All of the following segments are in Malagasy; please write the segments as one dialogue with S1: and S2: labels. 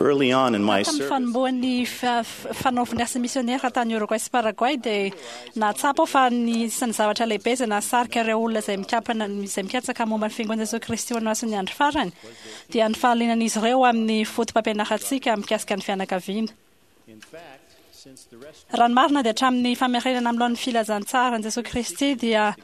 S1: Early on in my
S2: Tamin'ny
S1: service,
S2: fanombohan'ny fanaovana asa misionera tany Uruguay sy Paraguay dia nahatsapa aho fa ny isan'ny zavatra lehibe izay nahasarika ireo olona izay mikampana izay mikatsaka momba ny Fiangonan'i Jesoa Kristy ho an'ny Masin'ny Andro Farany dia ny fahalianan'izy ireo amin'ny fotopampianarantsika mikasika ny fianakaviana. Raha ny marina dia hatramin'ny famerenana amin'ny laoniny filazantsaran'i Jesoa Kristy dia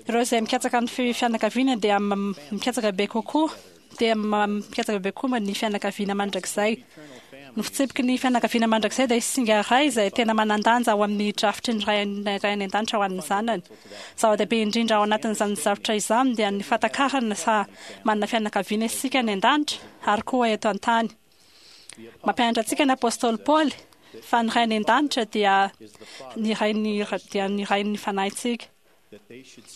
S2: ireo izay mikatsaka ny fianakaviana dia mikatsaka bebe kokoa dia mikatsaka bebe kokoa ny fianakaviana mandrakizay. Ny fitsipiky ny fianakaviana mandrakizay dia singa iray izay tena manan-danja ao amin'ny drafitry ny Ray any An-danitra ho an'ny zanany. Zava-dehibe indrindra ao anatin'izany zavtra izany dia ny fahatakarana fa manana fianakaviana isika any an-danitra ary koa eto an-tany. Mampianatra antsika ny apostoly Paoly fa ny Ray any an-danitra dia ny Rain'ny dia ny Rain'ny fanahintsika.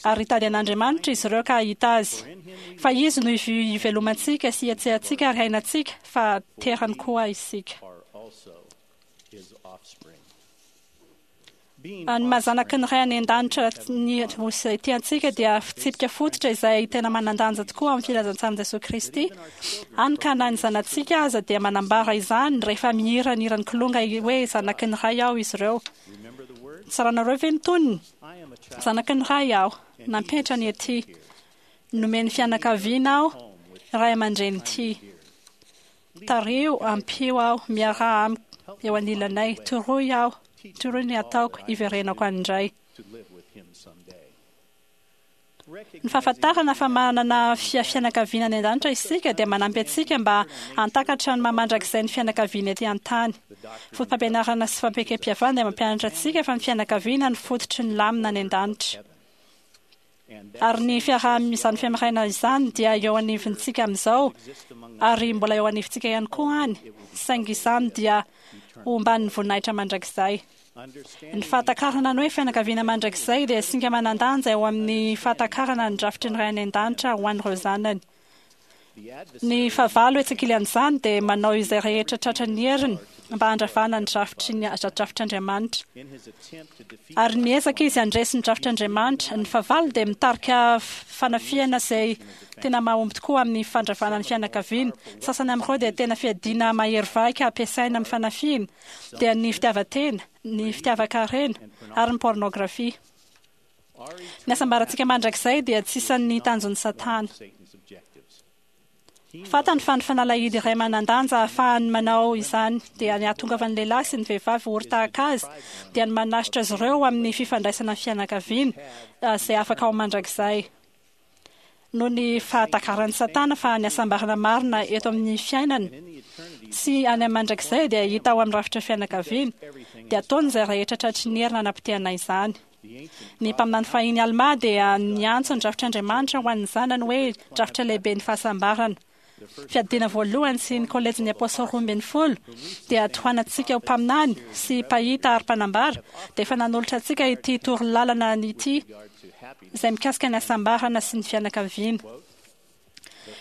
S2: Ary hitady an'Andriamanitra izy ireo ka hahita Azy. Fa Izy no ivelomantsika sy ihetsehantsika ary iainantsika, fa terany koa isika. Ny maha zanaky ny Ray any An-danitra ny izay tia antsika dia fitsipika fototra izay tena manan-danja tokoa amin'ny filazantsaran'i Jesoa Kristy. Hany ka na ny zanatsika aza dia manambara izany rehefa mihira ny hiran'ny Kilonga hoe Zanaky ny Ray aho izy ireo. Tsaranareo ve ny tonony? Zanaky ny Ray aho, nampiantra ny ety. Nomeny fianakaviana aho, ray aman-dreny tia. Tariho, ampio aho, miaraha amiko eo anilanay, toroy aho, toroy ny hataoko, hiverenako any indray. Ny fahafantarana fa manana fianakaviana any an-danitra isika dia manampy antsika mba hahatakatra ny maha mandrakizay ny fianakaviana ety an-tany. Fotopampianarana sy fampiekempihavanana dia mampianatra antsika fa ny fianakaviana no fototry ny lamina any an-danitra. Ary ny fiaraha-izany fiamiraina izany dia eo anivontsika amin'izao, ary mbola eo anivontsika ihany koa any, saingy izany dia ho omban'ny voninahitra mandrakizay. Ny fahatakarana ny hoe fianakaviana mandrakizay dia singa manan-danja eo amin'ny fahatakarana ny drafitry ny Ray any An-danitra ho an'ireo zanany. Ny fahavalo etsy ankilan'izany dia manao izay rehetra tratran'ny heriny mba handravana ny drafitry ny drafitr'Andriamanitra. Ary miezaka izy handresy ny drafitr'Andriamanitra. Ny fahavalo dia mitarika fanafihana izay tena mahomby tokoa amin'ny fandravana ny fianakaviana. Ny sasany amin'ireo dia tena fiadiana mahery vaika ampiasaina amin'ny fanafihana, dia ny fitiavan-tena, ny fitiavan-karena, ary ny pôrnôgrafia. Ny hasambarantsika mandrakizay dia tsy isan'ny tanjon'i Satana. Fantany fa ny fanalahidy iray manan-danja ahafahany manao izany dia ny hahatongavan'ny lehilahy sy ny vehivavy ory tahaka azy, dia ny manasitra azy ireo amin'ny fifandraisana ny fianakaviana izay afaka ho mandrakizay. Noho ny fahatakaran'i Satana fa ny hasambarana marina eto amin'ny fiainana sy any amin'ny mandrakizay dia hita ao amin'ny rafitra fianakaviana, dia ataony izay rehetra tratry ny heriny hanapotehana izany. Ny mpaminany fahiny Almà dia niantso ny drafitr'Andriamanitra ho an'ny zanany hoe drafitra lehiben'ny fahasambarana. Fiadiana voalohany sy ny Kolejin'ny Apôstôly 12 dia tohanantsika ho mpaminany sy mpahita ary mpanambara dia efa nanolotra antsika ity torolalana ity izay mikasika ny hasambarana sy ny fianakaviana.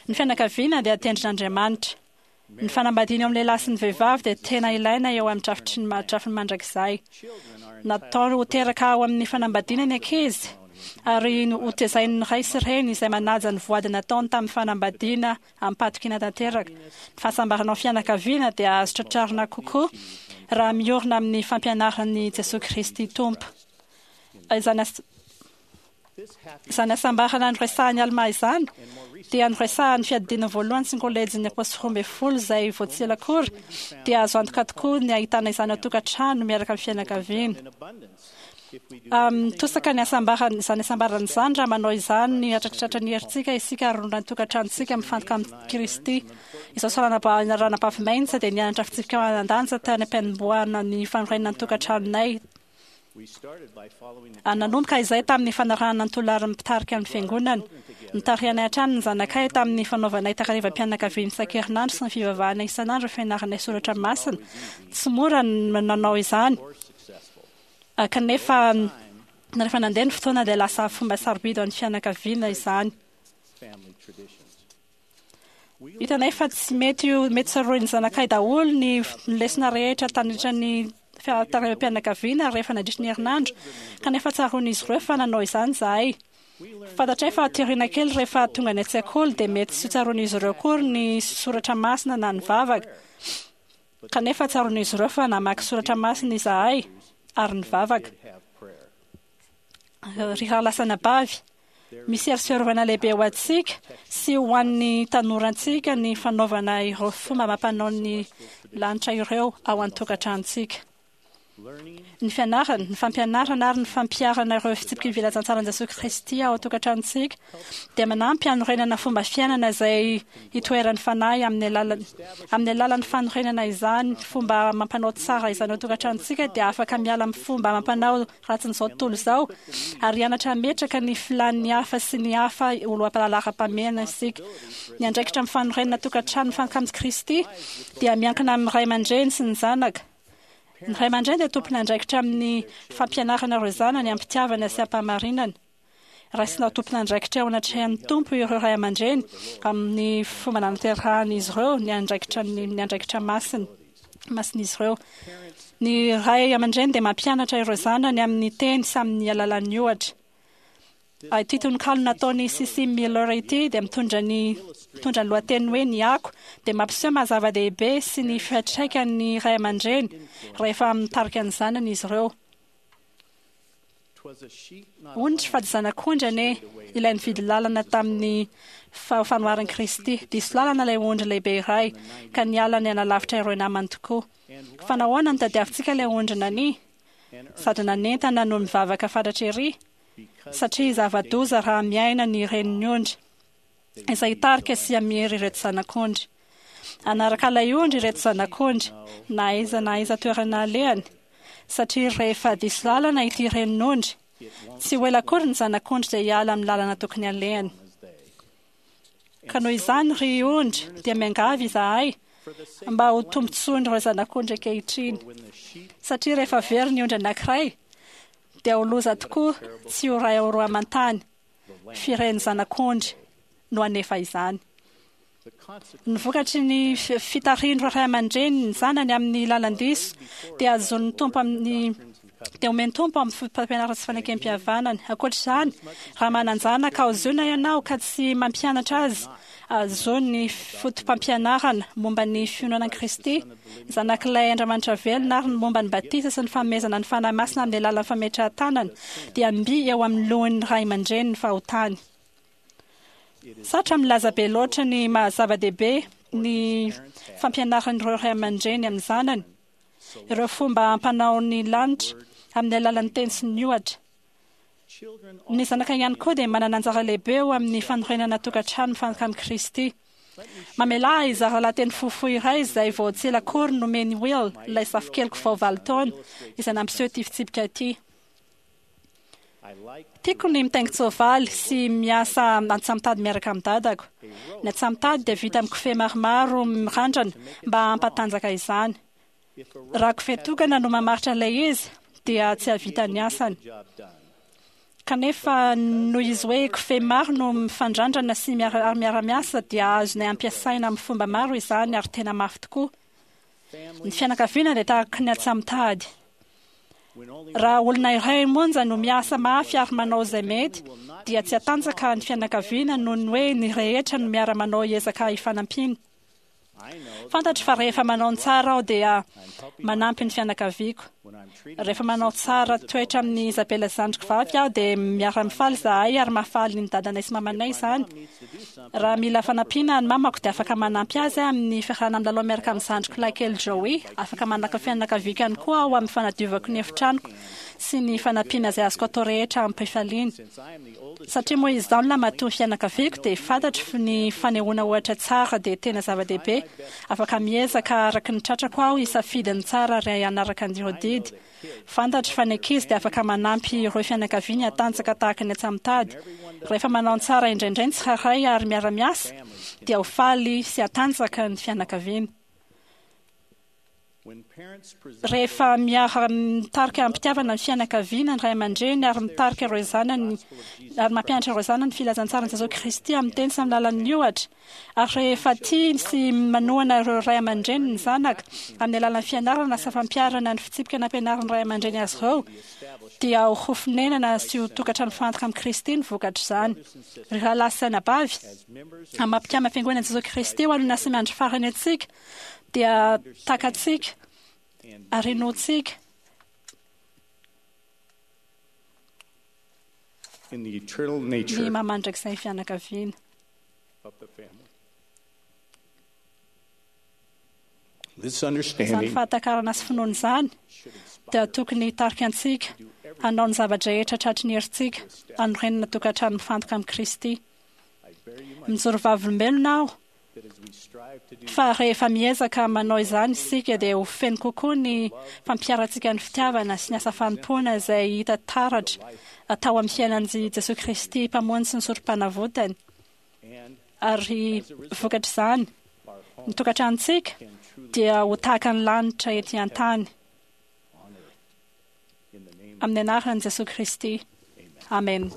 S2: Ny fianakaviana dia tendrin'Andriamanitra. Ny fanambadiana eo amin'ny lehilahy sy ny vehivavy dia tena ilaina eo amin'ny drafitry ny drafiny mandrakizay. Natao ho teraka ao amin'ny fanambadiana ny ankizy ary hotezain'ny ray sy reny izay manaja ny voady nataony tamin'ny fanambadiana amim-pahatokiana tanteraka. Ny fahasambarana ao fianakaviana dia azo tratrarina kokoa raha miorina amin'ny fampianaran'i Jesoa Kristy Tompo. Izany Izany hasambarana noresahan'i Almà izany dia noresahan'ny Fiadidiana Voalohany sy ny Kolejin'ny Apôstôly 12 izay vao tsy ela akory, dia azo antoka tokoa ny hahitana izany ao an-tokantrano miaraka amin'ny fianakaviana. Mitosaka ny hasambarana, izany hasambarana izany raha manao izany hatratratra ny herintsika isika ary rondran'ny tokantranontsika mifantoka amin'i Kristy. Izao sy Ranabavy Maintz dia nianatra fitsipika manan-danja tany am-piandohana ny fanorenana ny tokantranonay. Nanomboka izay tamin'ny fanarahana ny tolarin'ny mpitarika ny Fiangonana. Notarihanay hatrany ny zanakay tamin'ny fanaovanay takarivam-pianakaviana isan-kerinandro sy ny fivavahana isan'andro fianaranay soratra masina. Tsy mora ny nanao izany, kanefa rehefa nandeha ny fotoana dia lasa fomba sarobidy ho an'ny fianakaviana izany. Hitanay fa tsy mety ho mety tsaroin'ny zanakay daholo ny lesona rehetra tandritra ny fiaraha-pianakaviana rehefa nandritry ny herinandro, kanefa tsaroan'izy ireo fa nanao izany izahay. Fantatray fa aty aoriana kely rehefa tonga any an-tsekoly dia mety tsy ho tsaroan'izy ireo akory ny soratra masina na ny vavaka. Kanefa tsaroan'izy ireo fa namaky soratra masina izahay ary nivavaka. Ry rahalahy sy anabavy, misy hery fiarovana lehibe ho antsika sy ho an'ny tanorantsika ny fanaovana ireo fomba amam-panaon'ny lanitra ireo ao an-tokantranontsika. Ny fianarana, ny fampianarana ary ny fampiharana ireo fitsipiky ny filazantsaran'i Jesoa Kristy ao an-tokantranontsika dia manampy hanorenana fomba fiainana izay hitoeran'ny Fanahy amin'ny alalan'ny amin'ny alalan'ny fanorenana izany fomba amam-panao tsara izany ao an-tokantranontsika dia afaka miala amin'ny fomba amam-panao ratsin'izao tontolo izao ary hianatra hametraka ny filan'ny hafa sy ny hafa ho loham-pahalaram-pahamehana isika. Ny andraikitra amin'ny fanorenana tokantrano mifantoka amin'i Kristy dia miankina amin'ny ray aman-dreny sy ny zanaka. Ny ray aman-dreny dia tompon'andraikitra amin'ny fampianarana ireo zanany am-pitiavana sy am-pahamarinana. Raisina ho tompon'andraikitra eo anatrehan'ny Tompo ireo ray aman-dreny amin'ny fomba nanaterahan'izy ireo ny andraikitra ny andraikitra masina masin'izy ireo. Ny ray aman-dreny dia mampianatra ireo zanany amin'ny teny sy amin'ny alalan'ny ohatra. Ity tononkalo nataon'i Sissy Miller ity dia mitondra ny mitondra ny lohateny hoe Ny Ako dia mampiseho maha zava-dehibe sy ny fiantraikan'ny ray aman-dreny rehefa mitarika ny zanany izy ireo. Ondry fa tsy zanak'ondry anie ilay nividy lalana tamin'ny fanoharan'i Kristy. Diso lalana ilay ondry lehibe iray ka niala nianalavitra ireo namany tokoa. Fa nahoana no tadiavintsika ilay ondry nania sady nanentana no mivavaka fatratra ery? satria zava-doza raha miaina ny renin'ny ondry, izay hitarika sy hamery ireto zanak'ondry. Hanaraka ilay ondry ireto zanak'ondry, na aiza na aiza toerana alehany, satria rehefa diso lalana ity renin'ondry, tsy ho ela akory ny zanak'ondry dia hiala amin'ny lalana tokony halehany. Ka noho izany, ry ondry, dia miangavy izahay mba ho tombontsoan'ireo zanak'ondry ankehitriny, satria rehefa very ny ondry anankiray, dia ho loza tokoa tsy ho ray ao roa aman-tany, fireny zanak'ondry no hanefa izany. Ny vokatry ny fitarihin'ireo ray aman-dreny ny zanany amin'ny lalan-diso dia azon'ny Tompo amin'ny dia omen'ny Tompo amin'ny fotopampianarana sy fanekempihavanany. Ankoatra izany, raha manan-janaka ao Ziona ianao ka tsy mampianatra azy Azony ny fotopampianarana momba ny finoana an'i Kristy, Zanak'ilay Andriamanitra velona, ary ny momba ny batisa sy ny fanomezana ny Fanahy Masina amin'ny alalan'ny fametrahan-tanana, dia mby eo amin'ny lohan'ny ray aman-dreny ny fahotany. Sarotra milaza be loatra ny maha-zava-dehibe ny fampianaran'ireo ray aman-dreny amin'ny zanany ireo fomba ampanao ny lanitra amin'ny alalan'ny teny sy ny ohatra. Ny zanaka ihany koa dia manana anjara lehibe eo amin'ny fanorenana tokantrano mifanaraka amin'i Kristy. Mamelà ahy hizara lahateny fohifohy iray izay vao tsy ela akory nomen'i Will, ilay zafikeliko vao 8 taona, izay nampiseho ity fitsipika ity. Tiako ny mitaingin-tsoavaly sy miasa antsamotady miaraka amin'ny dadako. Ny antsamotady dia vita amin'ny kofehy maromaro mirandrana mba hampatanjaka izany. Raha kofehy tokana no mamaritra ilay izy dia tsy hahavita ny asany. Kanefa noho izy hoe kofehy maro no mifandrandrana sy ary miara-miasa dia azonay ampiasaina amin'ny fomba maro izany ary tena mafy tokoa. Ny fianakaviana dia tahaka ny antsamotady. Raha olona iray monja no miasa mafy ary manao izay mety dia tsy hatanjaka ny fianakaviana noho ny hoe ny rehetra no miara-manao ezaka hifanampiana. Fantatro fa rehefa manao ny tsara aho dia manampy ny fianakaviako. Rehefa manao tsara toetra amin'i Isabella zandriko vavy aho dia miara-mifaly izahay ary mahafaly ny dadanay sy mamanay izany. Raha mila fanampiana ny mamako dia afaka manampy azy aho amin'ny fiarahana milalao miaraka amin'ny zandriko lahy kely Joey. Afaka manaka ny fianakaviako ihany koa aho amin'ny fanadiovako ny efitranoko sy ny fanampiana izay azoko atao rehetra amim-pifaliana. Satria moa izaho no lahimatoa ny fianakaviako dia fantatro ny fanehoana ohatra tsara dia tena zava-dehibe. Afaka miezaka araka ny tratrako aho hisafidy ny tsara ary hanaraka an'ireo didy. Fantatro fa ny ankizy dia afaka manampy ireo fianakaviany hatanjaka tahaka ny antsamotady. Rehefa manao ny tsara indraindray ny tsirairay ary miara-miasa dia ho faly sy hatanjaka ny fianakaviana. Rehefa miara-mitarika amim-pitiavana ny fianakaviana, ny ray aman-dreny, ary mitarika ireo zanany, ary mampianatra ireo zanany ny filazantsaran'i Jesoa Kristy amin'ny teny sy amin'ny alalan'ny ohatra, ary rehefa tia sy manohana ireo ray aman-dreny ny zanaka amin'ny alalan'ny fianarana sy fampiharana ny fitsipika nampianarin'ny ray aman-dreny azy ireo, Dia ho fonenana sy ho tokantrano mifantoka amin'i Kristy ny vokatr'izany. Ry rahalahy sy anabavy, amin'ny maha mpikambana Fiangonan'i Jesoa Kristy ho an'ny asa miandry farany antsika, dia takatsika ary inoantsika ny maha mandrakizay ny fianakaviana. Izany fahatakarana sy finoana izany dia tokony hitarika antsika hanao ny zava-drehetra tratry ny herintsika hanorenana tokantrano mifantoka amin'i Kristy. Mijoro vavolombelona aho fa rehefa miezaka manao izany isika dia ho feno kokoa ny fampiharantsika ny fitiavana sy ny asa fanompoana izay hita taratra tao amin'ny fiainan'i Jesoa Kristy Mpamonjy sy ny Sorompanavotany. Ary vokatr'izany, ny tokantranontsika dia ho tahaka ny lanitra ety an-tany. Amin'ny anaran'i Jesoa Kristy. Amena.